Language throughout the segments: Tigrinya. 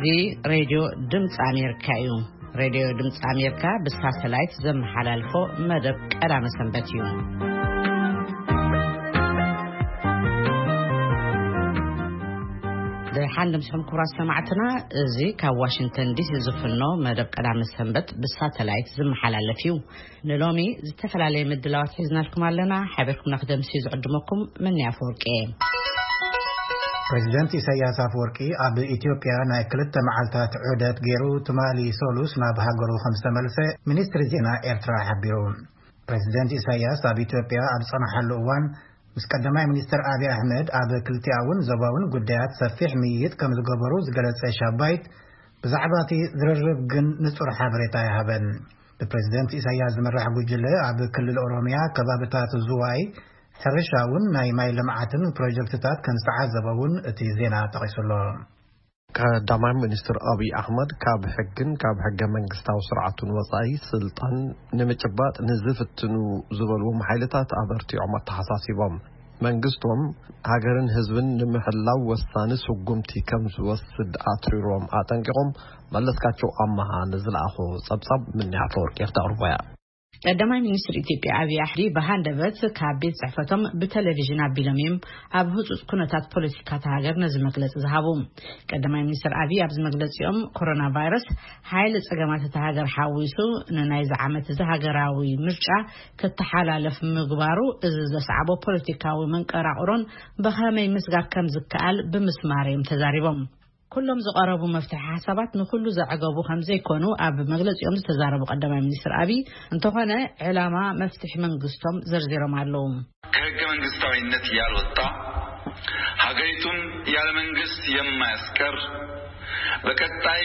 እዚ ሬድዮ ድምፂ ኣሜሪካ እዩ። ሬድዮ ድምፂ ኣሜሪካ ብሳተላይት ዘመሓላልፎ መደብ ቀዳመ ሰንበት እዩ። ደሓን ድምፅኹም ክቡራት ሰማዕትና፣ እዚ ካብ ዋሽንግተን ዲሲ ዝፍኖ መደብ ቀዳመ ሰንበት ብሳተላይት ዝመሓላለፍ እዩ። ንሎሚ ዝተፈላለየ ምድላዋት ሒዝናልኩም ኣለና። ሓቢርኩምና ክደምሲ ዝዕድመኩም መኒ ኣፈወርቂ እየ። ፕሬዚደንት ኢሳያስ ኣፈወርቂ ኣብ ኢትዮጵያ ናይ ክልተ መዓልታት ዑደት ገይሩ ትማሊ ሰሉስ ናብ ሃገሩ ከም ዝተመልሰ ሚኒስትሪ ዜና ኤርትራ ሓቢሩ። ፕሬዚደንት ኢሳያስ ኣብ ኢትዮጵያ ኣብ ዝጸንሓሉ እዋን ምስ ቀዳማይ ሚኒስትር ኣብይ ኣሕመድ ኣብ ክልቲኣውን ዞባውን ጉዳያት ሰፊሕ ምይይጥ ከም ዝገበሩ ዝገለጸ ሻባይት፣ ብዛዕባ እቲ ዝርርብ ግን ንጹር ሓበሬታ ኣይሃበን። ብፕሬዚደንት ኢሳያስ ዝምራሕ ጉጅለ ኣብ ክልል ኦሮሚያ ከባብታት ዝዋይ ሕርሻ እውን ናይ ማይ ልምዓትን ፕሮጀክትታት ከም ዝተዓዘበ እውን እቲ ዜና ጠቒሱ ኣሎ። ቀዳማይ ሚኒስትር ኣብይ ኣሕመድ ካብ ሕግን ካብ ሕገ መንግስታዊ ስርዓቱን ወጻኢ ስልጣን ንምጭባጥ ንዝፍትኑ ዝበልዎም ሓይልታት ኣበርቲዖም ኣተሓሳሲቦም። መንግስቶም ሃገርን ህዝብን ንምሕላው ወሳኒ ስጉምቲ ከም ዝወስድ ኣትሪሮም ኣጠንቂቖም። መለስካቸው ኣማሃ ንዝለኣኾ ጸብጻብ ምንያ ኣፈወርቂ ክተቕርቦያ። ቀዳማይ ሚኒስትር ኢትዮጵያ ኣብይ ኣሕመድ ብሃንደበት ካብ ቤት ጽሕፈቶም ብቴሌቪዥን ኣቢሎም እዮም ኣብ ህጹጽ ኩነታት ፖለቲካ እታ ሃገር ነዚ መግለጺ ዝሃቡ። ቀዳማይ ሚኒስትር ኣብይ ኣብዚ መግለጺኦም፣ ኮሮና ቫይረስ ሓይሊ ጸገማት እታ ሃገር ሓዊሱ ንናይዚ ዓመት እዚ ሃገራዊ ምርጫ ክተሓላለፍ ምግባሩ፣ እዚ ዘስዓቦ ፖለቲካዊ መንቀራቕሮን ብኸመይ ምስጋር ከም ዝከኣል ብምስማር እዮም ተዛሪቦም። ኩሎም ዝቐረቡ መፍትሒ ሓሳባት ንኹሉ ዘዕገቡ ከም ዘይኮኑ ኣብ መግለጺኦም ዝተዛረቡ ቀዳማይ ሚኒስትር ኣብይ፣ እንተኾነ ዕላማ መፍትሒ መንግስቶም ዘርዚሮም ኣለዉ። ከህገ መንግስታዊነት ያልወጣ፣ ሀገሪቱን ያለ መንግስት የማያስቀር፣ በቀጣይ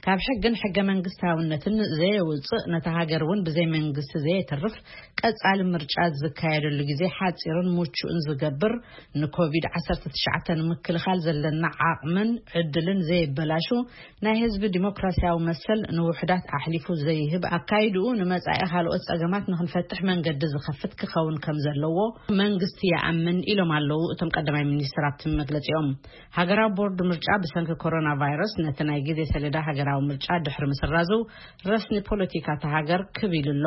ካብ ሕግን ሕገ መንግስታውነትን ዘየውፅእ፣ ነታ ሃገር እውን ብዘይ መንግስቲ ዘየትርፍ፣ ቀጻሊ ምርጫ ዝካየደሉ ግዜ ሓጺርን ምቹእን ዝገብር፣ ንኮቪድ ዓሰርተ ትሽዓተ ንምክልኻል ዘለና ዓቕምን ዕድልን ዘየበላሹ፣ ናይ ህዝቢ ዲሞክራሲያዊ መሰል ንውሑዳት ኣሕሊፉ ዘይህብ ኣካይድኡ ንመጻኢ ካልኦት ጸገማት ንኽንፈትሕ መንገዲ ዝኸፍት ክኸውን ከም ዘለዎ መንግስቲ ይኣምን ኢሎም ኣለዉ እቶም ቀዳማይ ሚኒስትር ኣብቲ መግለጺኦም። ሃገራዊ ቦርድ ምርጫ ብሰንኪ ኮሮና ቫይረስ ነቲ ናይ ግዜ ሰሌዳ ሃገራዊ ምርጫ ድሕሪ ምስራዙ ረስኒ ፖለቲካ እታ ሃገር ክብ ኢሉ ኣሎ።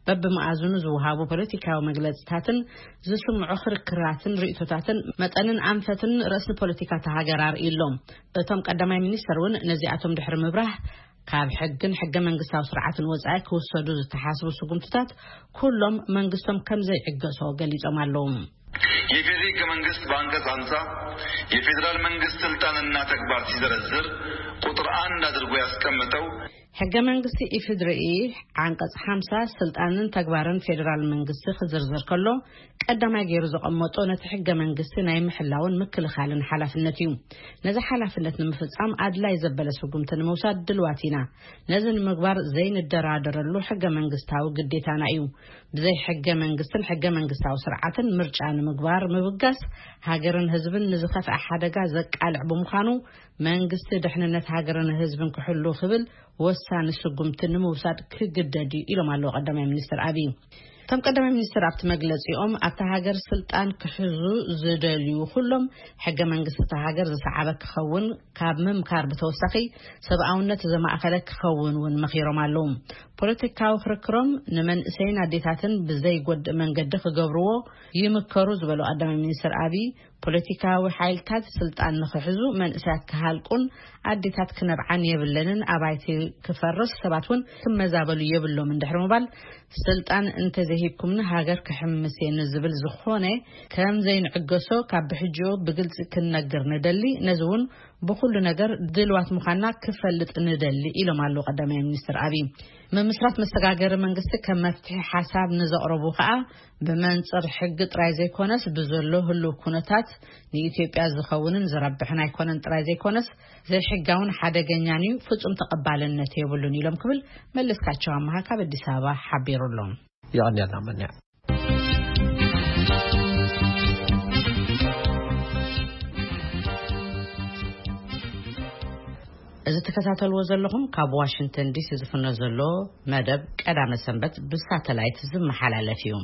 በብመኣዝኑ ዝወሃቡ ፖለቲካዊ መግለጽታትን ዝስምዑ ክርክራትን ርእቶታትን መጠንን ኣንፈትን ረስኒ ፖለቲካ እታ ሃገር ኣርእዩ ኣሎ። እቶም ቀዳማይ ሚኒስተር እውን ነዚኣቶም ድሕሪ ምብራህ ካብ ሕግን ሕገ መንግስታዊ ስርዓትን ወጻኢ ክውሰዱ ዝተሓስቡ ስጉምትታት ኩሎም መንግስቶም ከም ዘይዕገሶ ገሊጾም ኣለዉ። የፌዴሪ ህገ መንግስት በአንቀጽ ሃምሳ የፌዴራል መንግስት ስልጣንና ተግባር ሲዘረዝር ቁጥር አንድ አድርጎ ያስቀመጠው ሕገ መንግስቲ ኢፌዴሪ ዓንቀጽ ሓምሳ ስልጣንን ተግባርን ፌዴራል መንግስቲ ክዝርዝር ከሎ፣ ቀዳማይ ገይሩ ዘቐመጦ ነቲ ሕገ መንግስቲ ናይ ምሕላውን ምክልኻልን ሓላፍነት እዩ። ነዚ ሓላፍነት ንምፍጻም ኣድላይ ዘበለ ስጉምቲ ንምውሳድ ድልዋት ኢና። ነዚ ንምግባር ዘይንደራደረሉ ሕገ መንግስታዊ ግዴታና እዩ። ብዘይ ሕገ መንግስትን ሕገ መንግስታዊ ስርዓትን ምርጫ ንምግባር ምብጋስ፣ ሃገርን ህዝብን ንዝኸፍአ ሓደጋ ዘቃልዕ ብምዃኑ፣ መንግስቲ ድሕንነት ሃገርን ህዝብን ክሕሉ ክብል ወሳኒ ስጉምቲ ንምውሳድ ክግደድ እዩ ኢሎም ኣለዉ ቀዳማይ ሚኒስትር ኣብይ። እቶም ቀዳማይ ሚኒስትር ኣብቲ መግለጺኦም፣ ኣብታ ሃገር ስልጣን ክሕዙ ዝደልዩ ኩሎም፣ ሕገ መንግስቲ እታ ሃገር ዝሰዓበ ክኸውን ካብ ምምካር ብተወሳኺ፣ ሰብኣውነት ዘማእኸለ ክኸውን እውን መኺሮም ኣለዉ። ፖለቲካዊ ክርክሮም ንመንእሰይን ኣዴታትን ብዘይጎድእ መንገዲ ክገብርዎ ይምከሩ ዝበሉ ቀዳማይ ሚኒስትር ኣብይ፣ ፖለቲካዊ ሓይልታት ስልጣን ንኽሕዙ መንእሰያት ክሃልቁን ኣዴታት ክነብዓን የብለንን፣ ኣባይቲ ክፈርስ ሰባት እውን ክመዛበሉ የብሎምን ድሕሪ ምባል፣ ስልጣን እንተዘይሂብኩምኒ ሃገር ክሕምስ እየ ንዝብል ዝኾነ ከም ዘይንዕገሶ ካብ ብሕጂኡ ብግልጺ ክንነግር ንደሊ፣ ነዚ እውን ብኹሉ ነገር ድልዋት ምዃንና ክፈልጥ ንደሊ ኢሎም ኣለዉ ቀዳማይ ሚኒስትር ኣብይ። ምምስራት መሰጋገሪ መንግስቲ ከም መፍትሒ ሓሳብ ንዘቕረቡ ከኣ ብመንጽር ሕጊ ጥራይ ዘይኮነስ ብዘሎ ህሉው ኩነታት ንኢትዮጵያ ዝኸውንን ዝረብሕን ኣይኮነን ጥራይ ዘይኮነስ ዘይሕጋውን ሓደገኛን እዩ፣ ፍጹም ተቐባልነት የብሉን ኢሎም ክብል መለስካቸው ኣመሃ ካብ ኣዲስ ኣበባ ሓቢሩ ኣሎ። የቐንየልና መን እዚ ትከታተልዎ ዘለኹም ካብ ዋሽንግተን ዲሲ ዝፍኖ ዘሎ መደብ ቀዳመ ሰንበት ብሳተላይት ዝመሓላለፍ እዩ።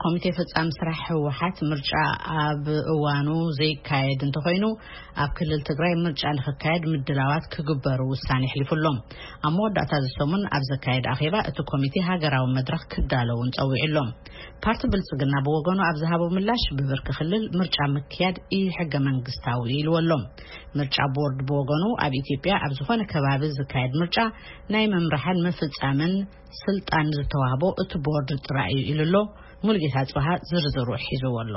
ኮሚቴ ፈጻሚ ስራሕ ህወሓት ምርጫ ኣብ እዋኑ ዘይካየድ እንተኾይኑ፣ ኣብ ክልል ትግራይ ምርጫ ንኽካየድ ምድላዋት ክግበሩ ውሳኔ ኣሕሊፉ ኣሎ። ኣብ መወዳእታ እዚ ሰሙን ኣብ ዘካየድ ኣኼባ፣ እቲ ኮሚቴ ሃገራዊ መድረኽ ክዳለውን ጸዊዑ ኣሎ። ፓርቲ ብልጽግና ብወገኑ ኣብ ዝሃቦ ምላሽ፣ ብብርኪ ክልል ምርጫ ምክያድ ኢ-ሕገ መንግስታዊ ኢልዎ ኣሎ። ምርጫ ቦርድ ብወገኑ፣ ኣብ ኢትዮጵያ ኣብ ዝኾነ ከባቢ ዝካየድ ምርጫ ናይ ምምራሕን ምፍጻምን ስልጣን ዝተዋህቦ እቲ ቦርድ ጥራይ እዩ ኢሉ ኣሎ። ሙልጌታ ጽብሃ ዝርዝሩ ሒዝዎ ኣሎ።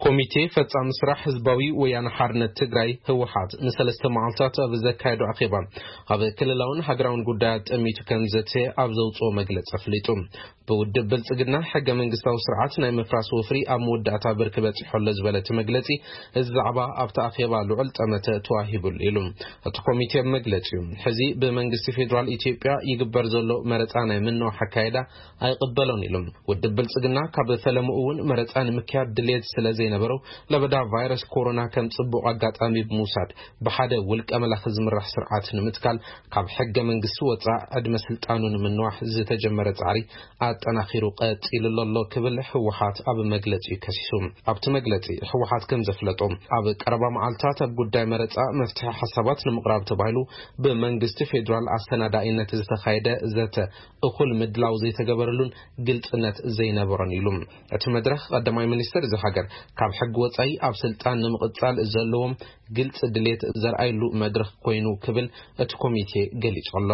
ኮሚቴ ፈጻሚ ስራሕ ህዝባዊ ወያነ ሓርነት ትግራይ ህወሓት ንሰለስተ መዓልታት ኣብ ዘካየዶ ኣኼባ፣ ኣብ ክልላውን ሃገራውን ጉዳያት ጠሚቱ ከም ዘተ ኣብ ዘውፅኦ መግለፂ ኣፍሊጡ። ብውድብ ብልጽግና ሕገ መንግስታዊ ስርዓት ናይ ምፍራስ ወፍሪ ኣብ መወዳእታ ብርኪ በጺሑ ኣሎ ዝበለ እቲ መግለጺ፣ እዚ ዛዕባ ኣብቲ ኣኼባ ልዑል ጠመተ ተዋሂቡሉ ኢሉ። እቲ ኮሚቴ ኣብ መግለጺኡ፣ ሕዚ ብመንግስቲ ፌዴራል ኢትዮጵያ ይግበር ዘሎ መረጻ ናይ ምንዋሕ ኣካይዳ ኣይቕበሎን ኢሉ። ውድብ ብልጽግና ካብ ፈለምኡ እውን መረጻ ንምክያድ ድሌት ስለ ዘይነበሮ፣ ለበዳ ቫይረስ ኮሮና ከም ጽቡቕ ኣጋጣሚ ብምውሳድ፣ ብሓደ ውልቀ መላኺ ዝምራሕ ስርዓት ንምትካል ካብ ሕገ መንግስቲ ወጻእ ዕድመ ስልጣኑ ንምንዋሕ ዝተጀመረ ጻዕሪ ኣጠናኺሩ ቀጺሉ ኣሎ ክብል ህወሓት ኣብ መግለጺኡ ከሲሱ። ኣብቲ መግለጺ ህወሓት ከም ዘፍለጦ፣ ኣብ ቀረባ መዓልታት ኣብ ጉዳይ መረጻ መፍትሒ ሓሳባት ንምቕራብ ተባሂሉ ብመንግስቲ ፌዴራል ኣሰናዳኢነት ዝተኻየደ ዘተ እኹል ምድላው ዘይተገበረሉን ግልጽነት ዘይነበሮን ኢሉ። እቲ መድረኽ ቀዳማይ ሚኒስትር እዚ ሃገር ካብ ሕጊ ወጻኢ ኣብ ስልጣን ንምቕጻል ዘለዎም ግልጽ ድሌት ዘርኣየሉ መድረኽ ኮይኑ ክብል እቲ ኮሚቴ ገሊጹ ኣሎ።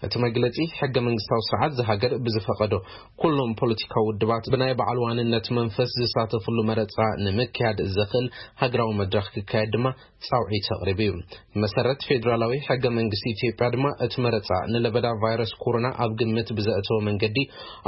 እቲ መግለጺ፣ ሕገ መንግስታዊ ስርዓት እዚ ሃገር ብዝፈቐዶ ኩሎም ፖለቲካዊ ውድባት ብናይ በዓል ዋንነት መንፈስ ዝሳተፍሉ መረጻ ንምክያድ ዘኽእል ሃገራዊ መድረኽ ክካየድ ድማ ጻውዒት ኣቕሪቡ እዩ። ብመሰረት ፌዴራላዊ ሕገ መንግስቲ ኢትዮጵያ ድማ እቲ መረጻ ንለበዳ ቫይረስ ኮሮና ኣብ ግምት ብዘእተወ መንገዲ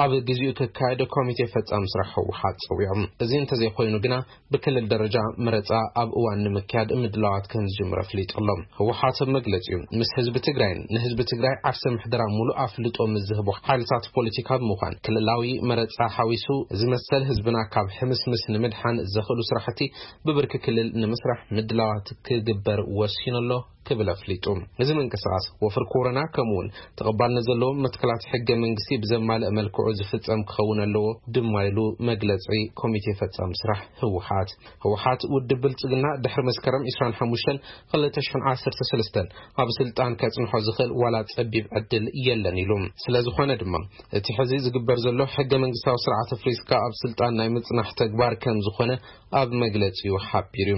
ኣብ ግዚኡ ክካየድ ኮሚቴ ፈጻሚ ስራሕ ህወሓት ጸዊዖም። እዚ እንተዘይኮይኑ ግና ብክልል ደረጃ መረጻ ኣብ እዋን ንምክያድ ምድላዋት ከም ዝጅምር ኣፍሊጡ ኣሎ። ህወሓት ኣብ መግለጺኡ፣ ምስ ህዝቢ ትግራይን ንህዝቢ ትግራይ ዓርሰ ምሕደራ ሙሉእ ኣፍልጦ ምስ ዝህቡ ሓይልታት ፖለቲካ ብምዃን፣ ክልላዊ መረጻ ሓዊሱ እዚ መሰል ህዝብና ካብ ሕምስምስ ንምድሓን ዘኽእሉ ስራሕቲ ብብርኪ ክልል ንምስራሕ ምድላዋት ክግበር ወሲኑ ኣሎ ክብል ኣፍሊጡ። እዚ ምንቅስቓስ ወፍሪ ኮሮና ከምኡውን ተቐባልነት ዘለዎም መትከላት ሕገ መንግስቲ ብዘማልእ መልክዑ ዝፍጸም ክኸውን ኣለዎ ድማ ኢሉ መግለጺ ኮሚቴ ፈጻሚ ስራሕ ህወሓት። ህወሓት ውድብ ብልጽግና ድሕሪ መስከረም ዕስራን ሓሙሽተን ክልተ ሽሕን ዓሰርተ ሰለስተን ኣብ ስልጣን ከጽንሖ ዝኽእል ዋላ ጸቢብ ዕድል የለን ኢሉ። ስለ ዝኾነ ድማ እቲ ሕዚ ዝግበር ዘሎ ሕገ መንግስታዊ ስርዓት ኣፍሪስካ ኣብ ስልጣን ናይ ምጽናሕ ተግባር ከም ዝኾነ ኣብ መግለጺኡ ሓቢሩ።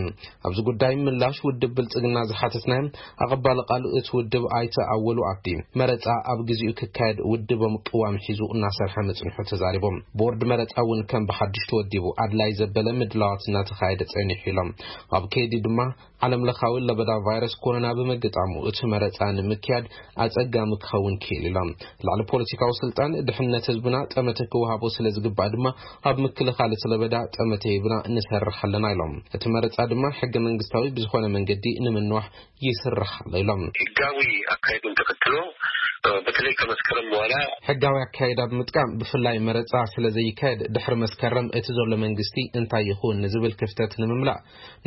ኣብዚ ጉዳይ ምላሽ ውድብ ብልጽግና ዝሓተትናዮም ኣቐባሊ ቃል እቲ ውድብ ኣይተ ኣወሉ ኣብዲ፣ መረጻ ኣብ ግዚኡ ክካየድ ውድቦም ቅዋም ሒዙ እናሰርሐ ምጽንሑ ተዛሪቦም። ቦርድ መረጻ እውን ከም ብሓድሽ ተወዲቡ ኣድላይ ዘበለ ምድላዋት እናተኻየደ ጸኒሑ ኢሎም። ኣብ ከይዲ ድማ ዓለም ለኻዊ ለበዳ ቫይረስ ኮሮና ብምግጣሙ እቲ መረጻ ንምክያድ ኣጸጋሚ ክኸውን ክኢሉ ኢሎም። ልዕሊ ፖለቲካዊ ስልጣን ድሕነት ህዝብና ጠመተ ክወሃቦ ስለ ዝግባእ ድማ ኣብ ምክልኻል እቲ ለበዳ ጠመተ ሂብና ንሰርሕ ኣለና ኢሎም። እቲ መረጻ ድማ ሕገ መንግስታዊ ብዝኾነ መንገዲ ንምንዋሕ ይስራሕ ኣሎ ኢሎም። ህጋዊ ኣካይዱን ተኸትሎ በተለይ ከመስከረም በኋላ ሕጋዊ ኣካይዳ ብምጥቃም ብፍላይ መረጻ ስለ ዘይካየድ ድሕሪ መስከረም እቲ ዘሎ መንግስቲ እንታይ ይኹን ንዝብል ክፍተት ንምምላእ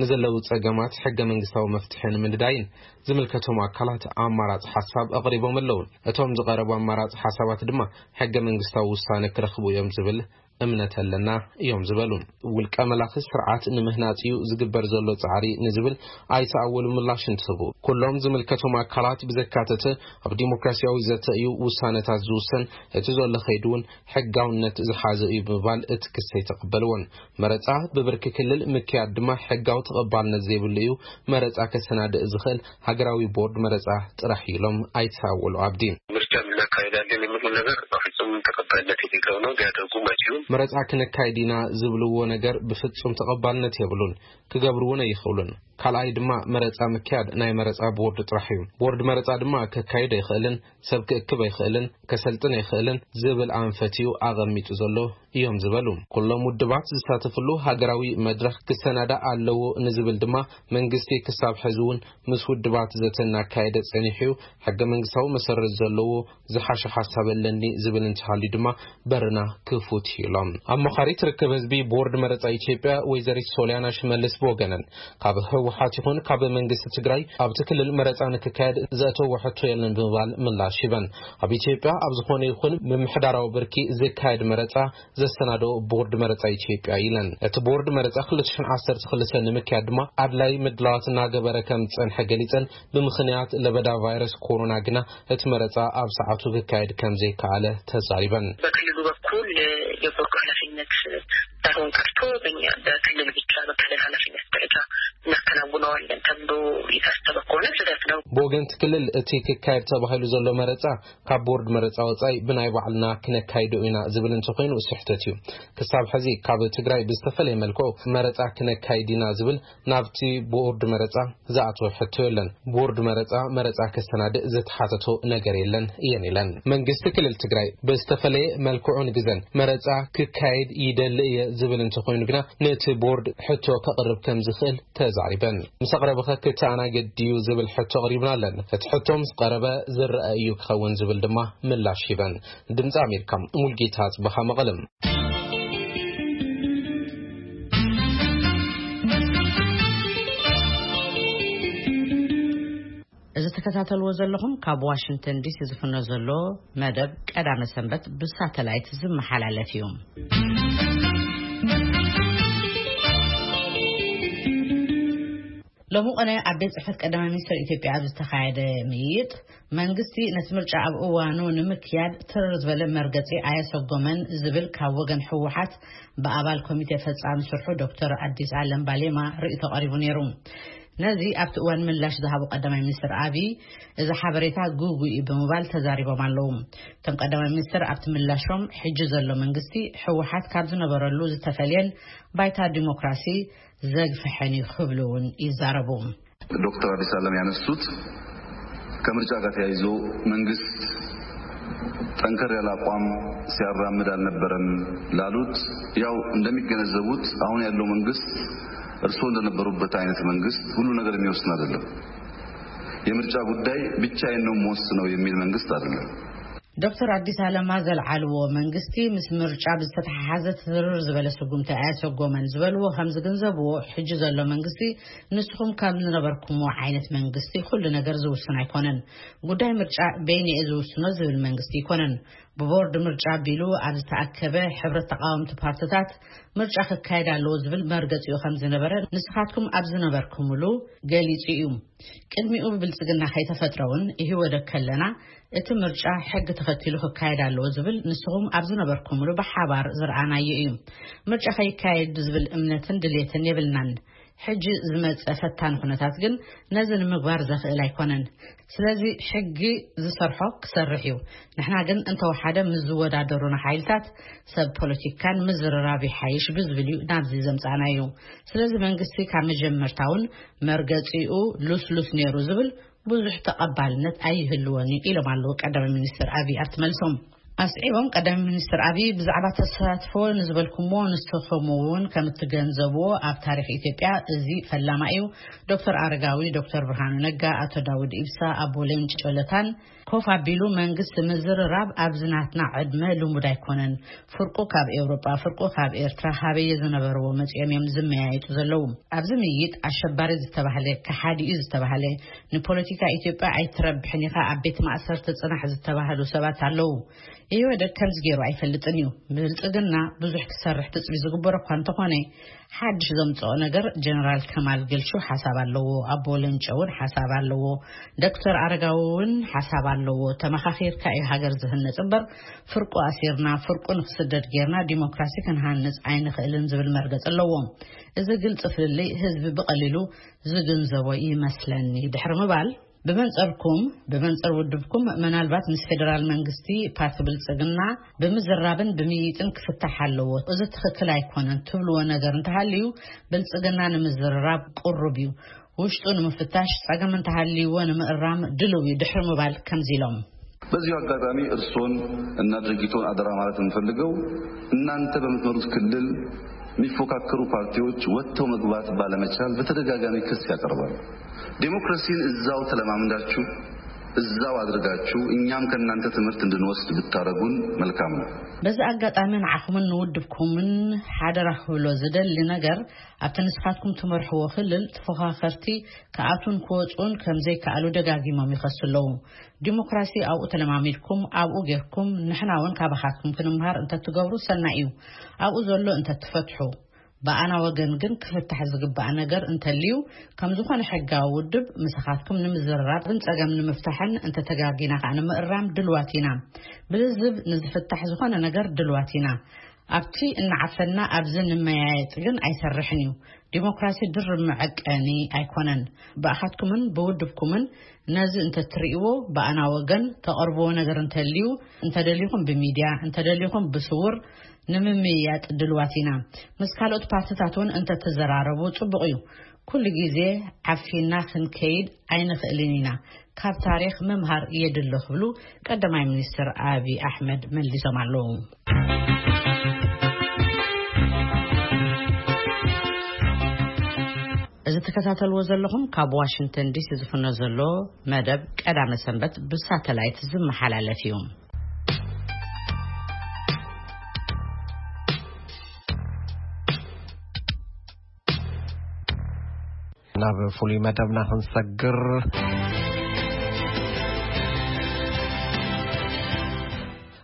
ንዘለዉ ጸገማት ሕገ መንግስታዊ መፍትሒ ንምንዳይን ዝምልከቶም ኣካላት ኣማራጺ ሓሳብ ኣቕሪቦም ኣለዉ። እቶም ዝቐረቡ ኣማራጺ ሓሳባት ድማ ሕገ መንግስታዊ ውሳነ ክረኽቡ እዮም ዝብል እምነት ኣለና እዮም ዝበሉ። ውልቀ መላኺ ስርዓት ንምህናጽ እዩ ዝግበር ዘሎ ጻዕሪ ንዝብል ኣይተ ኣወሉ ምላሽ እንትህቡ፣ ኩሎም ዝምልከቶም ኣካላት ብዘካተተ ኣብ ዲሞክራሲያዊ ዘተ እዩ ውሳነታት ዝውሰን፣ እቲ ዘሎ ከይዲ እውን ሕጋውነት ዝሓዘ እዩ ብምባል እቲ ክሲ ኣይተቐበልዎን። መረጻ ብብርኪ ክልል ምክያድ ድማ ሕጋዊ ተቐባልነት ዘይብሉ እዩ። መረጻ ከሰናድእ ዝኽእል ሃገራዊ ቦርድ መረጻ ጥራሕ እዩ ኢሎም ኣይተ ኣወሉ ኣብዲ። ምርጫ እናካሄዳለን የሚሉ ነገር በፍጹም ተቀባይነት የሌለው ነው። ሊያደርጉም አይችሉም። መረጻ ክነካይድ ኢና ዝብልዎ ነገር ብፍጹም ተቐባልነት የብሉን፣ ክገብርውን ኣይኽእሉን። ካልኣይ ድማ መረጻ ምክያድ ናይ መረጻ ቦርድ ጥራሕ እዩ። ቦርድ መረጻ ድማ ከካይድ ኣይኽእልን፣ ሰብ ክእክብ ኣይኽእልን፣ ከሰልጥን ኣይኽእልን ዝብል ኣንፈት እዩ ኣቐሚጡ ዘሎ እዮም ዝበሉ። ኩሎም ውድባት ዝሳተፍሉ ሃገራዊ መድረኽ ክሰናዳእ ኣለዎ ንዝብል ድማ መንግስቲ ክሳብ ሕዚ እውን ምስ ውድባት ዘተ እናካየደ ጸኒሑ እዩ። ሕገ መንግስታዊ መሰረት ዘለዎ ዝሓሸ ሓሳብ ኣለኒ ዝብል እንተሃልዩ ድማ በርና ክፉት እዩ ኢሎም። ኣማኻሪት ርክብ ህዝቢ ቦርድ መረጻ ኢትዮጵያ ወይዘሪት ሶሊያና ሽመልስ ብወገነን ካብ ህወሓት ይኹን ካብ መንግስቲ ትግራይ ኣብቲ ክልል መረፃ ንክካየድ ዘእተዎ ሕቶ የለን ብምባል ምላሽ ሂበን። ኣብ ኢትዮጵያ ኣብ ዝኾነ ይኹን ምምሕዳራዊ ብርኪ ዝካየድ መረፃ ዘሰናዶ ቦርድ መረፃ ኢትዮጵያ ኢለን። እቲ ቦርድ መረፃ ክልተ ሽሕን ዓሰርተ ክልተን ንምክያድ ድማ ኣድላይ ምድላዋት እናገበረ ከም ዝፀንሐ ገሊፀን፣ ብምኽንያት ለበዳ ቫይረስ ኮሮና ግና እቲ መረፃ ኣብ ሰዓቱ ክካየድ ከም ዘይከኣለ ተዛሪበን። በክልሉ በኩል የቦርዱ ኃላፊነት ሳይሆን ቀርቶ በእኛ በክልል ብቻ በክልል ኃላፊነት ደረጃ እናከናውነዋለን ተብሎ የታሰበ ከሆነ ስህተት ነው። ብወገንቲ ክልል እቲ ክካየድ ተባሂሉ ዘሎ መረፃ ካብ ቦርድ መረፃ ወፃኢ ብናይ ባዕልና ክነካይዶ ኢና ዝብል እንተኾይኑ ስሕተት እዩ። ክሳብ ሕዚ ካብ ትግራይ ብዝተፈለየ መልክዑ መረፃ ክነካይድ ኢና ዝብል ናብቲ ቦርድ መረፃ ዝኣተወ ሕቶ የለን። ቦርድ መረፃ መረፃ ከሰናድእ ዝተሓተቶ ነገር የለን እየን ኢለን። መንግስቲ ክልል ትግራይ ብዝተፈለየ መልክዑን ግዘን መረፃ ክካየድ ይደሊ እየ ዝብል እንተኾይኑ ግና ነቲ ቦርድ ሕቶ ከቕርብ ከም ዝኽእል ተዛሪበን። ምስ ኣቕረበኸ ክተኣናገድ ድዩ ዝብል ሕቶ ኣቕሪብናለን። እቲ ሕቶ ምስ ቀረበ ዝረአ እዩ ክኸውን ዝብል ድማ ምላሽ ሂበን። ድምፂ ኣሜሪካ፣ ሙልጌታ ጽበኻ፣ መቐለም። እዚ ትከታተልዎ ዘለኹም ካብ ዋሽንግተን ዲሲ ዝፍኖ ዘሎ መደብ ቀዳመ ሰንበት ብሳተላይት ዝመሓላለፍ እዩ። ሎሚ ቆነ ኣብ ቤት ጽሕፈት ቀዳማይ ሚኒስትር ኢትዮጵያ ኣብ ዝተኻየደ ምይይጥ፣ መንግስቲ ነቲ ምርጫ ኣብ እዋኑ ንምክያድ ትርር ዝበለ መርገጺ ኣየሰጎመን ዝብል ካብ ወገን ህወሓት ብኣባል ኮሚቴ ፈጻሚ ስርሑ ዶክተር ኣዲስ ኣለም ባሌማ ርእይቶ ቀሪቡ ነይሩ። ነዚ ኣብቲ እዋን ምላሽ ዝሃቡ ቀዳማይ ሚኒስትር ኣብይ፣ እዚ ሓበሬታ ግጉይ እዩ ብምባል ተዛሪቦም ኣለዉ። እቶም ቀዳማይ ሚኒስትር ኣብቲ ምላሾም፣ ሕጂ ዘሎ መንግስቲ ህወሓት ካብ ዝነበረሉ ዝተፈልየን ባይታ ዲሞክራሲ ዘግፍሐን እዩ ክብሉ እውን ይዛረቡ። ዶክተር አዲስ አለም ያነሱት ከምርጫ ጋር ተያይዞ መንግስት ጠንከር ያለ አቋም ሲያራምድ አልነበረም ላሉት፣ ያው እንደሚገነዘቡት አሁን ያለው መንግስት እርስዎ እንደነበሩበት አይነት መንግስት ሁሉ ነገር የሚወስን አይደለም። የምርጫ ጉዳይ ብቻዬን ነው የምወስነው የሚል መንግስት አይደለም። ዶክተር ኣዲስ ኣለማ ዘልዓልዎ፣ መንግስቲ ምስ ምርጫ ብዝተተሓሓዘ ትርር ዝበለ ስጉምቲ ኣያሰጎመን ዝበልዎ ከም ዝግንዘብዎ፣ ሕጂ ዘሎ መንግስቲ ንስኹም ከም ዝነበርኩምዎ ዓይነት መንግስቲ ኩሉ ነገር ዝውስን ኣይኮነን። ጉዳይ ምርጫ በይነየ ዝውስኖ ዝብል መንግስቲ ኣይኮነን። ብቦርድ ምርጫ ኣቢሉ ኣብ ዝተኣከበ ሕብረት ተቃወምቲ ፓርትታት ምርጫ ክካየድ ኣለዎ ዝብል መርገጺኡ ከም ዝነበረ ንስኻትኩም ኣብ ዝነበርኩምሉ ገሊጹ እዩ። ቅድሚኡ ብብልጽግና ከይተፈጥረ እውን ኢህወደግ ከለና እቲ ምርጫ ሕጊ ተኸቲሉ ክካየድ ኣለዎ ዝብል ንስኹም ኣብ ዝነበርኩምሉ ብሓባር ዝረኣናዮ እዩ። ምርጫ ከይካየድ ዝብል እምነትን ድሌትን የብልናን። ሕጂ ዝመጸ ፈታኒ ኩነታት ግን ነዚ ንምግባር ዘኽእል ኣይኮነን። ስለዚ ሕጊ ዝሰርሖ ክሰርሕ እዩ። ንሕና ግን እንተወሓደ ምስ ዝወዳደሩና ሓይልታት ሰብ ፖለቲካን ምዝርራብ ይሓይሽ ብዝብል እዩ ናብዚ ዘምጻእናዮ። ስለዚ መንግስቲ ካብ መጀመርታ እውን መርገጺኡ ሉስሉስ ነይሩ ዝብል ብዙሕ ተቐባልነት ኣይህልዎን እዩ ኢሎም ኣለዉ ቀዳማይ ሚኒስትር ኣብይ ኣብቲ መልሶም። ኣስዒቦም ቀዳማይ ሚኒስትር ኣብይ ብዛዕባ ተሳትፎ ንዝበልኩምዎ ንስኹም እውን ከም እትገንዘብዎ ኣብ ታሪኽ ኢትዮጵያ እዚ ፈላማ እዩ። ዶክተር ኣረጋዊ፣ ዶክተር ብርሃኑ ነጋ፣ ኣቶ ዳውድ ኢብሳ፣ ኣቦ ሌንጮ ለታን ኮፍ ኣቢሉ መንግስቲ ምዝርራብ ኣብዚ ናትና ዕድመ ልሙድ ኣይኮነን። ፍርቁ ካብ ኤውሮጳ፣ ፍርቁ ካብ ኤርትራ፣ ሃበየ ዝነበርዎ መጺኦም እዮም ዝመያየጡ ዘለዉ። ኣብዚ ምይይጥ ኣሸባሪ ዝተባህለ፣ ከሓዲ እዩ ዝተባህለ፣ ንፖለቲካ ኢትዮጵያ ኣይትረብሕን ኢኻ፣ ኣብ ቤት ማእሰርቲ ጽናሕ ዝተባህሉ ሰባት ኣለዉ። ኢህወደግ ከምዚ ገይሩ ኣይፈልጥን እዩ። ብልጽግና ብዙሕ ክሰርሕ ትጽቢት ዝግበሮ እኳ እንተኾነ፣ ሓድሽ ዘምጽኦ ነገር ጀነራል ከማል ገልሹ ሓሳብ ኣለዎ፣ ኣቦ ለንጮ እውን ሓሳብ ኣለዎ፣ ዶክተር ኣረጋዊ እውን ሓሳብ ኣለዎ። ተመኻኺርካ እዩ ሃገር ዝህነጽ እምበር፣ ፍርቁ ኣሲርና፣ ፍርቁ ንክስደድ ጌርና ዲሞክራሲ ክንሃንጽ ኣይንኽእልን ዝብል መርገጽ ኣለዎ። እዚ ግልጺ ፍልልይ ህዝቢ ብቐሊሉ ዝግንዘቦ ይመስለኒ ድሕሪ ምባል፣ ብመንጸርኩም፣ ብመንጸር ውድብኩም፣ ምናልባት ምስ ፌደራል መንግስቲ ፓርቲ ብልጽግና ብምዝራብን ብምይይጥን ክፍታሕ ኣለዎ፣ እዚ ትኽክል ኣይኮነን ትብልዎ ነገር እንተሃልዩ፣ ብልጽግና ንምዝርራብ ቅሩብ እዩ። ውሽጡ ንምፍታሽ፣ ጸገም እንተሃልይዎ ንምእራም ድሉው እዩ ድሕሪ ምባል ከምዚ ኢሎም። በዚሁ አጋጣሚ እርሶን እና ድርጅቶን አደራ ማለት የምፈልገው፣ እናንተ በምትመሩት ክልል የሚፎካከሩ ፓርቲዎች ወጥተው መግባት ባለመቻል በተደጋጋሚ ክስ ያቀርባሉ። ዴሞክራሲን እዛው ተለማምዳችሁ እዛው አድርጋችሁ እኛም ከእናንተ ትምህርት እንድንወስድ ብታረጉን መልካም ነው። በዚ ኣጋጣሚ ንዓኹምን ንውድብኩምን ሓደራ ክብሎ ዝደሊ ነገር፣ ኣብቲ ንስኻትኩም ትመርሕዎ ክልል ተፎኻኸርቲ ክኣትዉን ክወጽኡን ከም ዘይከኣሉ ደጋጊሞም ይኸሱ ኣለዉ። ዲሞክራሲ ኣብኡ ተለማሚድኩም፣ ኣብኡ ጌርኩም፣ ንሕና እውን ካባኻትኩም ክንምሃር እንተትገብሩ ሰናይ እዩ። ኣብኡ ዘሎ እንተትፈትሑ። ብኣና ወገን ግን ክፍታሕ ዝግባእ ነገር እንተልዩ፣ ከም ዝኾነ ሕጋዊ ውድብ ምሳኻትኩም ንምዝርራብን ጸገም ንምፍታሕን እንተተጋጊና ከኣ ንምእራም ድልዋት ኢና። ብልዝብ ንዝፍታሕ ዝኾነ ነገር ድልዋት ኢና። ኣብቲ እናዓፈና ኣብዚ ንመያየጥ ግን ኣይሰርሕን እዩ። ዲሞክራሲ ድርብ መዐቀኒ ኣይኮነን። ብኣኻትኩምን ብውድብኩምን ነዚ እንተትርእይዎ፣ ብኣና ወገን ተቐርብዎ ነገር እንተልዩ፣ እንተደሊኹም ብሚድያ፣ እንተደሊኹም ብስውር ንምምይያጥ ድልዋት ኢና። ምስ ካልኦት ፓርትታት እውን እንተትዘራረቡ ጽቡቕ እዩ። ኩሉ ግዜ ዓፊና ክንከይድ ኣይንኽእልን ኢና። ካብ ታሪኽ ምምሃር የድሎ ክብሉ ቀዳማይ ሚኒስትር ኣብይ ኣሕመድ መሊሶም ኣለዉ። እዚ ትከታተልዎ ዘለኹም ካብ ዋሽንግተን ዲሲ ዝፍኖ ዘሎ መደብ ቀዳመ ሰንበት ብሳተላይት ዝመሓላለፍ እዩ። ናብ ፍሉይ መደብና ክንሰግር፣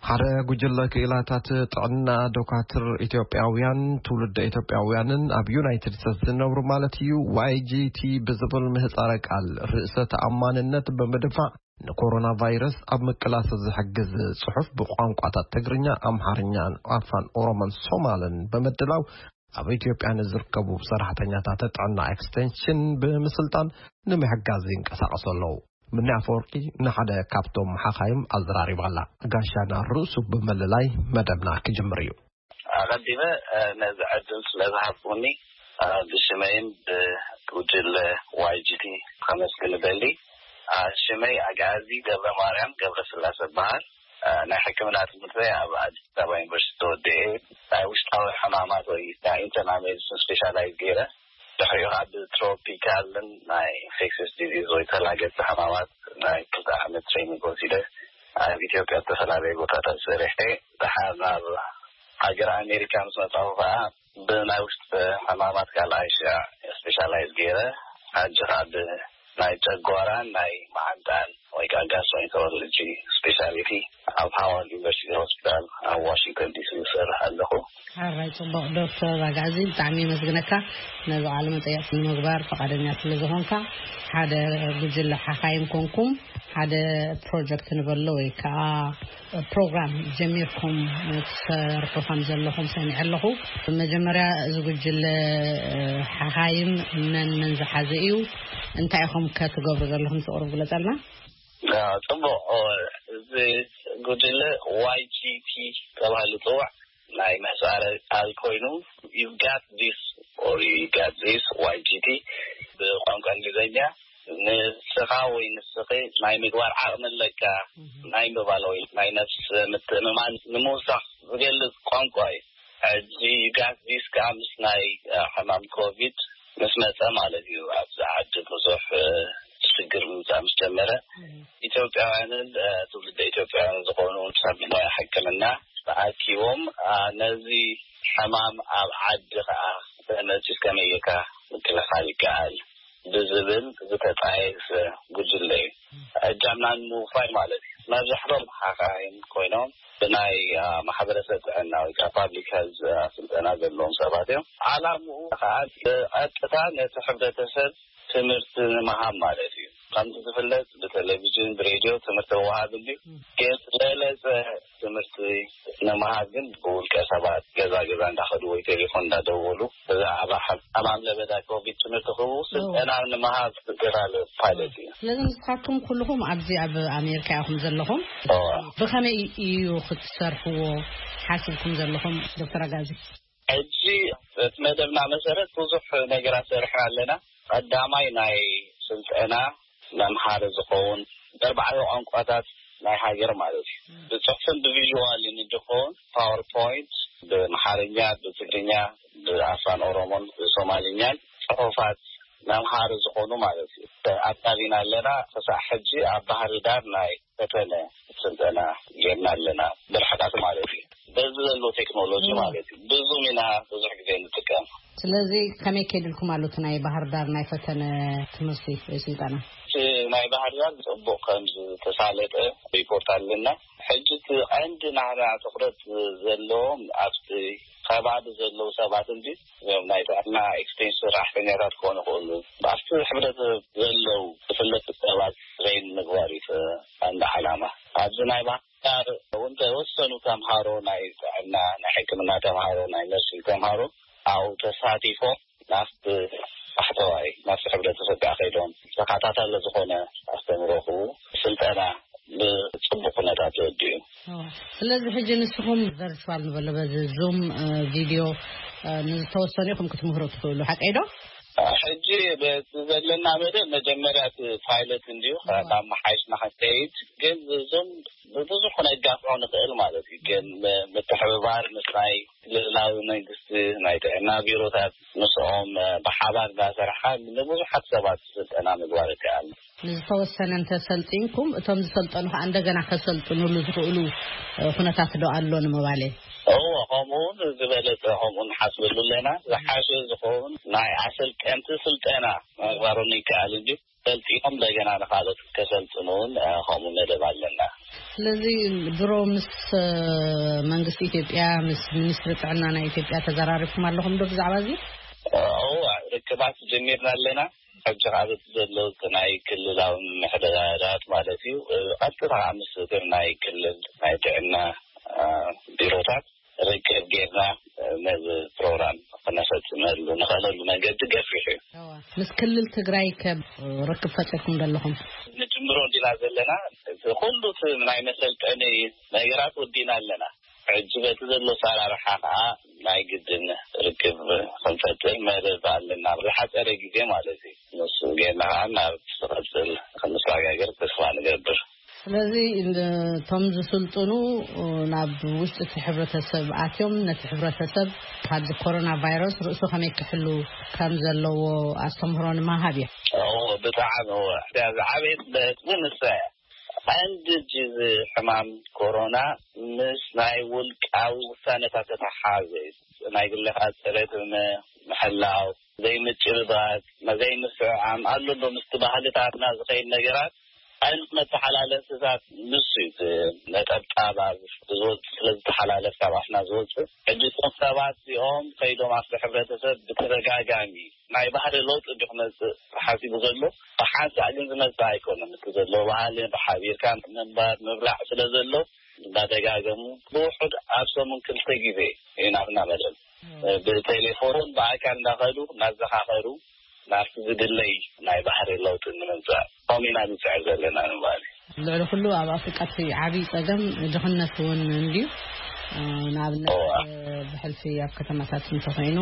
ሓደ ጉጅለ ክኢላታት ጥዕና ዶካትር ኢትዮጵያውያን፣ ትውልደ ኢትዮጵያውያንን ኣብ ዩናይትድ ስቴትስ ዝነብሩ ማለት እዩ፣ ዋይ ጂ ቲ ብዝብል ምህጻረ ቃል ርእሰ ተኣማንነት ብምድፋዕ ንኮሮና ቫይረስ ኣብ ምቅላስ ዝሕግዝ ጽሑፍ ብቋንቋታት ትግርኛ፣ ኣምሓርኛን ኣፋን ኦሮሞን ሶማልን ብምድላው ኣብ ኢትዮጵያ ንዝርከቡ ሰራሕተኛታት ጥዕና ኤክስቴንሽን ብምስልጣን ንምሕጋዝ ይንቀሳቐሱ ኣለዉ። ምኒ ኣፈወርቂ ንሓደ ካብቶም ሓኻይም ኣዘራሪባ ኣላ። ጋሻና ርእሱ ብምልላይ መደብና ክጅምር እዩ። ኣቐዲመ፣ እ፣ ነዚ ዕድል ስለ ዝሃብኩኒ፣ እ፣ ብሽመይን ብጉጅለ ዋይ ጂ ቲ ከመስግን እደሊ። እ፣ ሽመይ ኣግኣዚ ገብረ ማርያም ገብረ ስላሴ እበሃል። እ፣ ናይ ሕክምና ትምህርተይ ኣብ ኣዲስ ኣበባ ዩኒቨርሲቲ ተወዲኤ። ናይ ውሽጣዊ ሕማማት ወይ ናይ ኢንተርናል ሜዲሲን ስፔሻላይዝ ገይረ። ድሕሪኡ ከዓ ብትሮፒካልን ናይ ኢንፌክሽስ ዲዚዝ ወይ ተላገቲ ሕማማት ናይ ክልተ ዓመት ትሬኒንግ ወሲደ። ኣብ ኢትዮጵያ ዝተፈላለዩ ቦታታት ሰሪሐ። ድሓር ናብ ሃገር ኣሜሪካ ምስ መጻኹ ከዓ ብናይ ውሽጢ ሕማማት ካልኣይ ሽዕ ስፔሻላይዝ ገይረ። ሕጂ ከዓ ብናይ ጨጓራን ናይ መዓንጣን ወይ ከዓ ጋስትሮኢንተሮሎጂ ስፔሻሊቲ ኣብ ሃዋርድ ዩኒቨርሲቲ ሆስፒታል ኣብ ዋሽንግተን ዲሲ ይሰርሕ ኣለኹ። ሓራይ ጽቡቕ ዶክተር ኣግኣዚ፣ ብጣዕሚ የመስግነካ ነዚ ቃለ መጠይቕ ንምግባር ፈቓደኛ ስለ ዝኾንካ። ሓደ ጉጅለ ሓኻይም ኮንኩም ሓደ ፕሮጀክት ንበሎ ወይ ከዓ ፕሮግራም ጀሚርኩም ትሰርሑ ከም ዘለኹም ሰሚዐ ኣለኹ። መጀመርያ እዚ ጉጅለ ሓኻይም መን መን ዝሓዘ እዩ? እንታይ ኢኹም ከ ትገብሩ ዘለኹም? ስቕሩብ ግለጸልና። ኣዎ፣ ጽቡቕ። ኦ፣ እዚ ጉጅለ ዋይ ጂ ቲ ተባሂሉ ይጽዋዕ። ናይ ምህጻረ ቃል ኮይኑ፣ you got this or you got this፣ ዋይ ጂ ቲ ብቋንቋ እንግሊዝኛ፣ ንስኻ ወይ ንስኺ ናይ ምግባር ዓቕሚ ኣለካ፣ ናይ ምባል ወይ ናይ ነፍሲ ምትእምማን ንምውሳኽ ዝገልጽ ቋንቋ እዩ። ሕጂ you got this ከዓ ምስ ናይ፣ እ፣ ሕማም ኮቪድ ምስ መጸ ማለት እዩ። ኣብዚ ዓዲ ብዙሕ፣ እ፣ ሽግር ምምጻእ ምስ ጀመረ፣ ኢትዮጵያውያንን፣ እ፣ ትውልደ ኢትዮጵያውያን ዝኾኑ ሰብ ሞያ ሕክምና ተኣኪቦም፣ እ፣ ነዚ ሕማም ኣብ ዓዲ ከዓ ተመጺኡ ከመይ ጌርካ ምክልኻል ይከኣል ብዝብል ዝተጣየሰ ጉጅለ እዩ። እጃምና ንምውፋይ ማለት እዩ። መብዛሕትኦም ሓኻይም ኮይኖም ብናይ፣ አ፣ ማሕበረሰብ ጥዕና ወይ ከዓ ፓብሊክ ሄልዝ፣ አ፣ ስልጠና ዘለዎም ሰባት እዮም። ዓላምኡ ከዓ ብቐጥታ ነቲ ሕብረተሰብ ትምህርቲ ንምሃብ ማለት እዩ። ከምቲ ዝፍለጥ ብቴሌቪዥን፣ ብሬድዮ ትምህርቲ ምውሃብ እንድዩ። ግን ዝበለጸ ትምህርቲ ንምሃብ ግን ብውልቀ ሰባት ገዛ ገዛ እንዳኸዱ ወይ ቴሌፎን እንዳደወሉ ብዛዕባ ሕማም ለበዳ ኮቪድ ትምህርቲ ክህቡ ስልጠና ንምሃብ ዝግበር ዘሎ ፓይለት እዩ። ስለዚ ንስኻትኩም ኩልኹም ኣብዚ ኣብ ኣሜሪካ ኢኹም ዘለኹም። እወ። ብኸመይ እዩ ክትሰርሕዎ ሓሲብኩም ዘለኹም ዶክተር ኣጋዚ? ሕጂ እቲ መደብና መሰረት ብዙሕ ነገራት ሰሪሕና ኣለና። ቀዳማይ ናይ ስልጠና መምሃሪ ዝኸውን በርባዕተ ቋንቋታት ናይ ሃገር ማለት እዩ። ብጽሑፍን ብቪዥዋልን እንዲኸውን ፓወርፖይንት ብኣምሓርኛ፣ ብትግርኛ፣ ብኣፋን ኦሮሞን ብሶማልኛን ጽሑፋት መምሃሪ ዝኾኑ ማለት እዩ። ኣዳሊና ኣለና። ክሳዕ ሕጂ ኣብ ባህር ዳር ናይ ፈተነ ስልጠና ጌርና ኣለና፣ ብርሕቀት ማለት እዩ። በዚ ዘሎ ቴክኖሎጂ ማለት እዩ። ብዙ ኢና ብዙሕ ግዜ ንጥቀም። ስለዚ ከመይ ከይድልኩም ኣሎ እቲ ናይ ባህር ዳር ናይ ፈተነ ትምህርቲ ወይ ስልጠና? እቲ ናይ ባህር ዳር ጽቡቕ ከም ዝተሳለጠ ሪፖርት ኣለና። ሕጂ እቲ ቀንዲ ናህና ትኹረት ዘለዎም ኣብቲ ከባቢ ዘለዉ ሰባት እንጂ እዞም ናይ ጥዕና ኤክስቴንሽን ሰራሕተኛታት ክኾኑ ይኽእሉ። ኣብቲ ሕብረተሰብ ዘለዉ ዝፍለጡ ሰባት ትሬን ምግባር እዩ እቲ ቀንዲ ዓላማ። ኣብዚ ናይ ባህር ዳር እውን ተወሰኑ ተምሃሮ ናይ ጥዕና፣ ናይ ሕክምና ተምሃሮ፣ ናይ ነርሲንግ ተምሃሮ ኣብኡ ተሳቲፎም ናብቲ ባሕተዋይ፣ ናብቲ ሕብረተሰብ ከኣ ከይዶም ተኸታታሊ ዝኾነ ኣስተምህሮ ክህቡ ስልጠና ብጽቡቕ ኩነታት ተወዲኡ። እዋ። ስለዚ ሕጂ ንስኹም ቨርቹዋል ንበሎ፣ በዚ ዙም፣ እ፣ ቪድዮ፣ እ፣ ንዝተወሰኑ ኢኹም ክትምህሩ ትኽእሉ፣ ሓቀይ ዶ? ሕጂ በቲ ዘለና መደብ መጀመርያ እቲ ፓይለት እንድዩ፣ እዋ። ካብ መሓይሽና ክንከይድ፣ ግን ዙም ብብዙሕ ክነጋፍዖ ንኽእል ማለት እዩ። ግን ም-፣ ምትሕብባር ምስ ናይ ክልላዊ መንግስቲ፣ ናይ ጥዕና ቢሮታት ምስኦም፣ እ፣ ብሓባር እንዳሰርሓ ንብዙሓት ሰባት ስልጠና ምግባር ይከኣል። ንዝተወሰነ እንተሰልጢንኩም፣ እቶም ዝሰልጠኑ ከኣ እንደገና ከሰልጥኑሉ ዝኽእሉ፣ እ፣ ኩነታት ዶ ኣሎ ንምባል እየ? እዎ፣ ከምኡ እውን ዝበለጸ ከምኡ ንሓስበሉ ኣለና። ዝሓሸ ዝኸውን ናይ ኣሰልጠንቲ ስልጠና ምግባሮም ይከኣል እንጂ ሰልጢኖም እንደገና ንኻልኦት ከሰልጥኑ እውን፣ እ፣ ከምኡ መደብ ኣለና። ስለዚ ድሮ ምስ፣ እ፣ መንግስቲ ኢትዮጵያ፣ ምስ ሚኒስትሪ ጥዕና ናይ ኢትዮጵያ ተዘራሪብኩም ኣለኹም ዶ ብዛዕባ እዚ? እዎ፣ ርክባት ጀሚርና ኣለና። ሕጂ ካብ እቲ ዘለዉ ናይ ክልላዊ ምምሕዳራት ማለት እዩ፣ እ፣ ቀጥታ ምስ እቶም ናይ ክልል ናይ ጥዕና፣ እ፣ ቢሮታት ርክብ ጌርና፣ እ፣ ነዚ ፕሮግራም ክነፈጽመሉ ንኽእለሉ መንገዲ ገፊሑ እዩ። እዋ። ምስ ክልል ትግራይ ከ ርክብ ፈጢርኩም ዶ ኣለኹም? ንጅምሮ እንዲና ዘለና፣ እቲ ኩሉ እቲ ናይ መሰልጠኒ ነገራት ወዲና ኣለና። ሕጂ በቲ ዘሎ ኣሰራርሓ ከኣ ናይ ግድን ርክብ ክንፈጥር መደብ ኣለና፣ ዝሓጸረ ግዜ ማለት እዩ። ንሱ ጌርና ከኣ ናብ ዝቕጽል ክንሰጋገር ተስፋ ንገብር። ስለዚ እቶም ዝስልጥኑ ናብ ውሽጢ እቲ ሕብረተሰብ ኣትዮም ነቲ ሕብረተሰብ ካብዚ ኮሮና ቫይረስ ርእሱ ከመይ ክሕሉ ከም ዘለዎ ኣስተምህሮ ንምሃብ እዮም። እዎ፣ ብጣዕሚ እዎ። እዚኣ ዝዓበየት ነጥቢ ንሳ እያ። ቀንዲ ሕጂ እዚ ሕማም ኮሮና ምስ ናይ ውልቃዊ ውሳነታት ዝተተሓሓዘ እዩ። ናይ ግልኻ ጽሬት ምሕላው፣ ዘይምጭብባጥ፣ ዘይምስዕዓም ኣሎ ዶ ምስቲ ባህልታትና ዝኸይድ ነገራት፣ ዓይነት መተሓላለፍታት ንሱ እዩ። እቲ ነጠብጣብ ኣብ ዝወጽእ ስለ ዝተሓላለፍ ካብ ኣፍና ዝወጽእ፣ ሕጂ እቶም ሰባት እዚኦም ከይዶም ኣብቲ ሕብረተሰብ ብተደጋጋሚ ናይ ባህሪ ለውጢ እንዲ ክመጽእ ተሓሲቡ ዘሎ፣ ብሓንሳእ ግን ዝመጽእ ኣይኮነን። እቲ ዘሎ ባህሊ ብሓቢርካ ምንባር ምብላዕ ስለ ዘሎ፣ እንዳደጋገሙ ብውሑድ ኣብ ሰሙን ክልተ ግዜ እዩ ናብና መደብ። ብቴሌፎን ብኣካል እንዳኸዱ እናዘኻኸሩ ናብቲ ዝድለይ ናይ ባህሪ ለውጢ ንምምጻእ ከምኡ ኢና ንጽዕር ዘለና ንምባል እዩ። ልዕሊ ኩሉ ኣብ ኣፍሪቃ እቲ ዓብዪ ጸገም ድኽነት እውን እንድዩ። እ፣ ንኣብነት፣ እዋ። እ፣ ብሕልፊ ኣብ ከተማታት እንተኾይኑ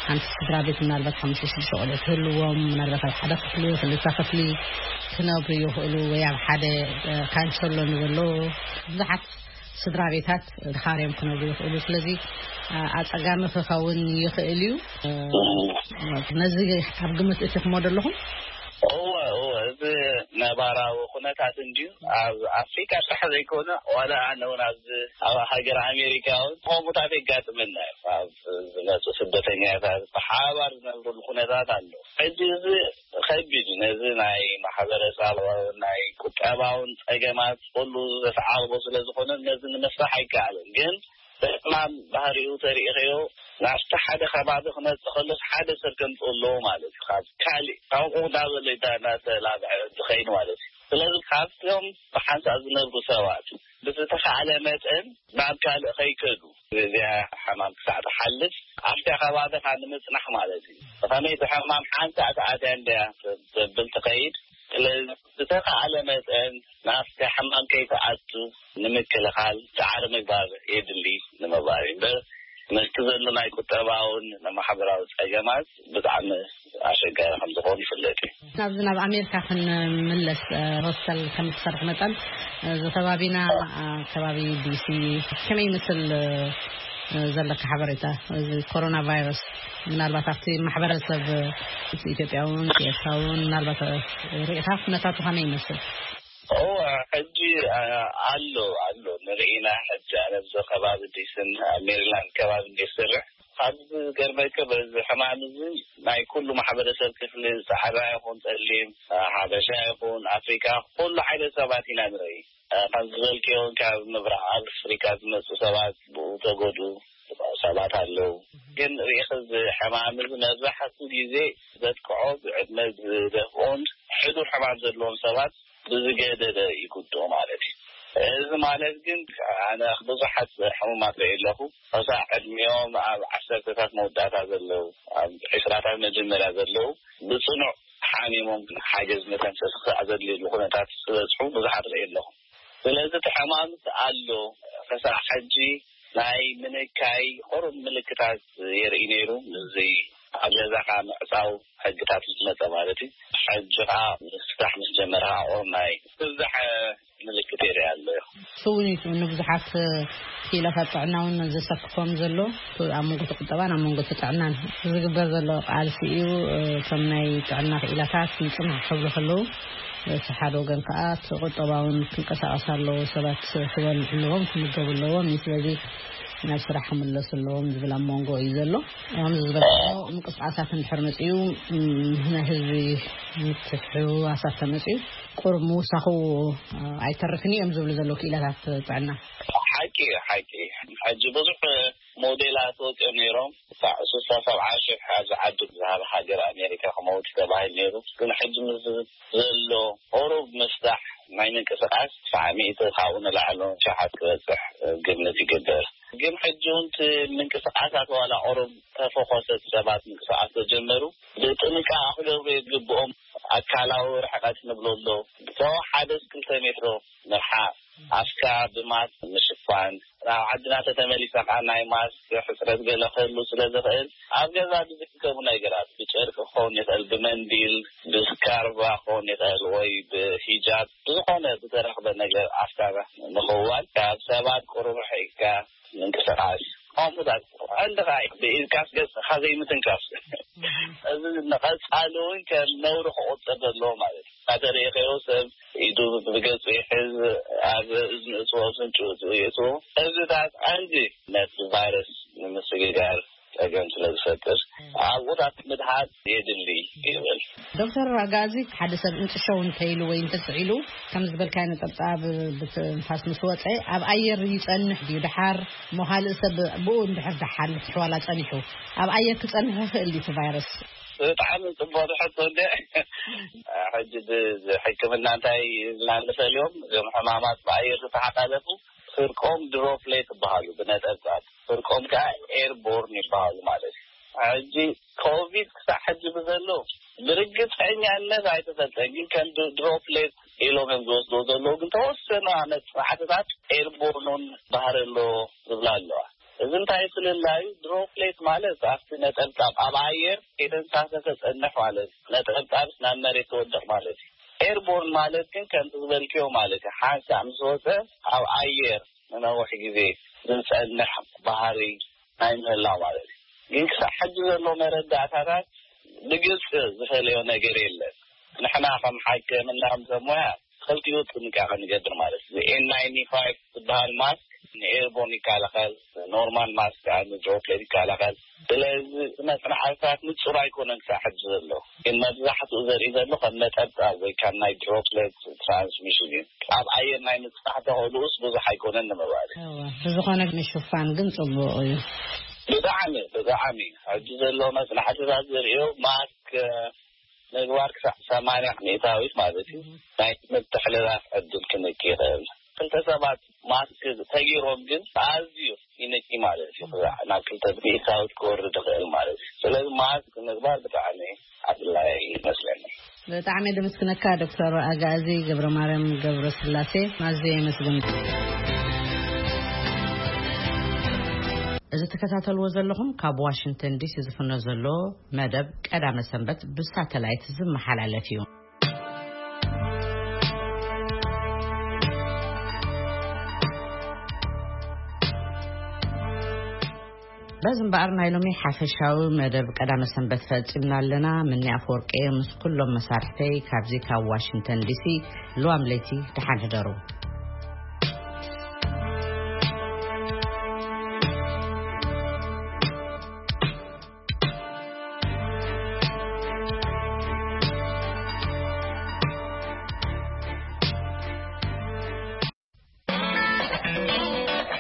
ሓንቲ ስድራ ቤት ምናልባት ሓሙሽተ ሽዱሽተ ቆልዑ ትህልዎም፣ ምናልባት ኣብ ሓደ ክፍሊ፣ ክልተ ክፍሊ ክነብሩ ይኽእሉ፣ ወይ ኣብ ሓደ፣ እ፣ ካንሸሎ ንበሎ ብዙሓት ስድራ ቤታት ድኻርዮም ክነብሩ ይኽእሉ። ስለዚ፣ እ፣ ኣጸጋሚ ክኸውን ይኽእል እዩ። እ፣ እም። ነዚ ኣብ ግምት እቲኹሞ ዶ ኣለኹም? እወ፣ እወ፣ እዚ ነባራዊ ኩነታት እንድዩ። ኣብ ኣፍሪካ ጥራሕ ዘይኮነ፣ ዋላ ኣነ እውን ኣብዚ ኣብ ሃገር ኣሜሪካ እውን ከምኡታት የጋጥመና እዩ። ኣብ ዝመፁ ስደተኛታት ብሓባር ዝነብሩሉ ኩነታት ኣሎ። ሕጂ እዚ ከቢድ እዩ። ነዚ ናይ ማሕበረሰባውን ናይ ቁጠባውን ፀገማት ኩሉ ዘተዓርቦ ስለ ዝኾነ ነዚ ንምፍታሕ ኣይከኣልን። ግን ሕማም ባህሪኡ ተሪኢኸዮ ናብቲ ሓደ ከባቢ ክመጽእ ከሎስ ሓደ ሰብ ከምጽእ ኣለዎ ማለት እዩ። ካብ ካሊእ ካብኡ እንዳበለ እንዳ-፣ እንዳተላብዐ ዝኸይድ ማለት እዩ። ስለዚ ካብቶም ብሓንሳእ ዝነብሩ ሰባት ብዝተኻእለ መጠን ናብ ካልእ ከይከዱ፣ እዚኣ ሕማም ክሳዕ ትሓልፍ ኣብታ ከባቢኻ ንምጽናሕ ማለት እዩ። ብኸመይ እቲ ሕማም ሓንሳእ ተኣትያ እንድያ ዘብል ትኸይድ። ስለዚ ዝተኻእለ መጠን ናብቲ ሕማም ከይትኣቱ ንምክልኻል ጻዕሪ ምግባር የድሊ ንምባል እዩ እምበር፣ ምስቲ ዘሎ ናይ ቁጠባውን ማሕበራዊ ጸገማት ብጣዕሚ ኣሸጋሪ ከም ዝኾኑ ይፍለጥ እዩ። ናብዚ ናብ ኣሜሪካ ክንምለስ፣ እ፣ ሆስተል ከም ትሰርሕ መጠን፣ እ፣ እዚ ከባቢና፣ እ፣ ከባቢ ዲሲ ከመይ ይመስል? እ፣ ዘለካ ሓበሬታ፣ እዚ ኮሮና ቫይረስ ምናልባት ኣብቲ ማሕበረሰብ ኢትዮጵያ እውን ኤርትራ እውን ምናልባት ርኢኻ ኩነታቱ ከመይ ይመስል? እዎ፣ ሕጂ ኣሎ ኣሎ ንርኢና። ሕጂ ኣነ ኣብዚ ከባቢ ዲስን ኣብ ሜሪላንድ ከባቢ እንደ ዝሰርሕ፣ ኣብዚ ዝገርመከ በዚ ሕማም እዚ ናይ ኩሉ ማሕበረሰብ ክፍሊ፣ ፃዕዳ ይኹን ፀሊም፣ ሓበሻ ይኹን ኣፍሪካ፣ ኩሉ ዓይነት ሰባት ኢና ንርኢ። ከም ዝበልክዮ እውን ካብ ምብራቕ ኣፍሪካ ዝመፁ ሰባት ብኡ ተጎዱ ሰባት ኣለዉ። ግን ርኢኽ፣ እዚ ሕማም እዚ መብዛሕትኡ ግዜ ዘጥቅዖ ብዕድመ ዝደፍኡን ሕዱር ሕማም ዘለዎም ሰባት ብዝገደደ ይጉድኡ ማለት እዩ። እዚ ማለት ግን ኣነ ብዙሓት ሕሙማት ርኢ ኣለኹ። ከሳዕ ዕድሚኦም ኣብ ዓሰርተታት መወዳእታ ዘለዉ፣ ኣብ ዕስራታት መጀመርያ ዘለዉ ብፅኑዕ ሓሚሞም ሓገዝ መተንፈሲ ክሳዕ ዘድልየሉ ኩነታት ዝበፅሑ ብዙሓት ርኢ ኣለኹ። ስለዚ እቲ ሕማም ኣሎ። ከሳዕ ሕጂ ናይ ምንካይ ቁሩብ ምልክታት የርኢ ነይሩ። እዚ ኣብ ገዛኻ ምዕፃው ሕግታት ምስ መፀ ማለት እዩ። ሕጂ ከዓ ስራሕ ምስ ጀመረ ከዓ ቁሩብ ናይ ምብዛሕ ምልክት የርኢ ኣሎ። እሱ እውን እዩ ንብዙሓት ክኢላታት ጥዕና እውን ዘሰክፎም ዘሎ። ኣብ መንጎ እቲ ቁጠባን ኣብ መንጎ እቲ ጥዕናን ዝግበር ዘሎ ቃልሲ እዩ። እቶም ናይ ጥዕና ክኢላታት ንፅንሕ ክብሉ ከለዉ፣ እቲ ሓደ ወገን ከዓ እቲ ቁጠባውን ክንቀሳቀስ ኣለዎ። ሰባት ክበልዑ ኣለዎም፣ ክምገቡ ኣለዎም። ስለዚ ናብ ስራሕ ክምለሱ ኣለዎም ዝብል ኣብ መንጎ እዩ ዘሎ። ከምዚ ዝበልካዮ ምንቅስቃሳት እንድሕር መፅኡ፣ ናይ ህዝቢ ምትሕውዋሳት ተመፅኡ ቁሩብ ምውሳኹ ኣይተርፍን እዮም ዝብሉ ዘለዉ ክኢላታት ጥዕና። ሓቂ እዩ፣ ሓቂ እዩ። ሕጂ ብዙሕ ሞዴላት ወፂኦም ነይሮም። ክሳዕ ስሳ ሰብዓ ሽሕ ኣብዚ ዓዲ ዝሃብ ሃገር ኣሜሪካ ክመውት ተባሂሉ ነይሩ። ግን ሕጂ ምስ ዘሎ ቁሩብ ምስራሕ ናይ ምንቅስቃስ ትስዓ ሚእቲ ካብኡ ንላዕሊ ሸሓት ክበፅሕ ግምት ይግበር። ግን ሕጂ እውን እቲ ምንቅስቃሳት ዋላ ቁሩብ ተፈኾሰት ሰባት ምንቅስቃስ ተጀመሩ ብጥንቃቐ ክገብሩ የግብኦም። ኣካላዊ ርሕቀት ንብሎ ኣሎ። ብተወሓደስ ክልተ ሜትሮ ምርሓቕ፣ ኣፍካ ብማስክ ምሽፋን። ናብ ዓድና ተተመሊስና ከዓ ናይ ማስክ ሕፅረት ገለ ክህሉ ስለ ዝኽእል ኣብ ገዛ ብዝሕከሙ ነገራት ብጨርቂ ክኸውን ይኽእል፣ ብመንዲል፣ ብስካርባ ክኸውን ይኽእል ወይ ብሂጃብ ብዝኾነ ብተረኽበ ነገር ኣፍካ ምኽዋል፣ ካብ ሰባት ቁሩብ ርሒቕካ ምንቅስቃስ፣ ከምኡታት ቀንዲ ከዓ ብኢድካስ ገፅካ ዘይምትንካፍ። እዚ ንቐፃሊ እውን ከም ነውሪ ክቑፀር ዘለዎ ማለት እዩ። እናተረእኸዮ ሰብ ኢዱ ብገፁ ይሕዝ፣ ኣብ እዝኒ እፅዎ፣ ኣፍንጭኡ እፅዎ፣ እዚታት ቀንዲ ነቲ ቫይረስ ንምስግጋር ፀገም ስለ ዝፈጥር ኣብኡታት ምድሃብ የድሊ ይብል። ዶክተር ኣጋዚ፣ ሓደ ሰብ እንጥሸው እንተይሉ ወይ እንተስዒሉ ከም ዝበልካዮ ነጠብጣብ ብትንፋስ ምስ ወፀ ኣብ ኣየር ይፀንሕ ድዩ? ደሓር ሞ ካልእ ሰብ ብኡ እንድሕር ደሓር ክትሕዋላ ፀኒሑ ኣብ ኣየር ክፀንሕ ይኽእል ድዩ እቲ ቫይረስ? ብጣዕሚ ፅቡቅ ሕቶ እንደ ሕጂ ሕክምና እንታይ ኢልና ንፈልዮም? እዞም ሕማማት ብኣየር ዝተሓላለፉ ፍርቆም ድሮፕሌት ይበሃሉ፣ ብነጠብጣብ። ፍርቆም ከዓ ኤርቦርን ይበሃሉ ማለት እዩ። ሕጂ ኮቪድ ክሳብ ሕጂ ብዘሎ ብርግፀኛነት ኣይተፈልጠን፣ ግን ከም ድሮፕሌት ኢሎም እዮም ዝወስድዎ ዘለዉ። ግን ተወሰኑ መፅናዕትታት ኤርቦርኑን ባህሪ ኣለዎ ዝብላ ኣለዋ። እዚ እንታይ ፍልላዩ? ድሮፕሌት ማለት ኣብቲ ነጠብጣብ ኣብ ኣየር ከይተንሳፈፈ ጸንሕ ማለት እዩ። ነጠብጣብ ናብ መሬት ትወድቕ ማለት እዩ። ኤርቦርን ማለት ግን ከምቲ ዝበልክዮ ማለት እዩ። ሓንሳእ ምስ ወፀ ኣብ ኣየር ንነዊሕ ግዜ ዝጸንሕ ባህሪ ናይ ምህላው ማለት እዩ። ግን ክሳብ ሕጂ ዘሎ መረዳእታታት ብግልፂ ዝፈለዮ ነገር የለን። ንሕና ከም ሓከምና ከም ሰብ ሞያ ክልቲኡ ጥንቃቐ ንገብር ማለት እዩ። ኤን ናይንቲ ፋይቭ ዝበሃል ማስክ ንኤርቦን ይከላኸል፣ ኖርማል ማስክ ከዓ ንድሮፕሌት ይከላኸል። ስለዚ መፅናዕትታት ንፁር ኣይኮነን ክሳብ ሕጂ ዘሎ፣ ግን መብዛሕትኡ ዘርኢ ዘሎ ከም ነጠብጣብ ወይ ካብ ናይ ድሮፕሌት ትራንስሚሽን እዩ። ኣብ ኣየር ናይ ምፅናሕ ተኽእልኡስ ብዙሕ ኣይኮነን ንምባል እዩ። እወ፣ ብዝኾነ ምሽፋን ግን ፅቡቕ እዩ። ብጣዕሚ ብጣዕሚ ሕጂ ዘሎ መፅናዕትታት ዘርእዮ ማስክ ምግባር ክሳዕ ሰማንያ ሚእታዊት ማለት እዩ ናይ ምትሕልላፍ ዕድል ክንኪ ይኽእል። ክልተ ሰባት ማስክ ተጊሮም ግን ኣዝዩ ይንኪ ማለት እዩ። ክሳዕ ናብ ክልተ ሚእታዊት ክወርድ ይኽእል ማለት እዩ። ስለዚ ማስክ ምግባር ብጣዕሚ ኣድላይ ይመስለኒ። ብጣዕሚ ድምስክነካ ዶክተር ኣጋዚ ገብረ ማርያም ገብረ ስላሴ፣ ኣዝየ የመስግን። እዚ ትከታተልዎ ዘለኹም ካብ ዋሽንግተን ዲሲ ዝፍኖ ዘሎ መደብ ቀዳመ ሰንበት ብሳተላይት ዝመሓላለፍ እዩ። በዚ እምበኣር ናይ ሎሚ ሓፈሻዊ መደብ ቀዳመ ሰንበት ፈጺምና ኣለና። ምኒ ኣፈወርቂ ምስ ኩሎም መሳርሕተይ ካብዚ ካብ ዋሽንግተን ዲሲ፣ ልዋም ለይቲ ደሓን ሕደሩ።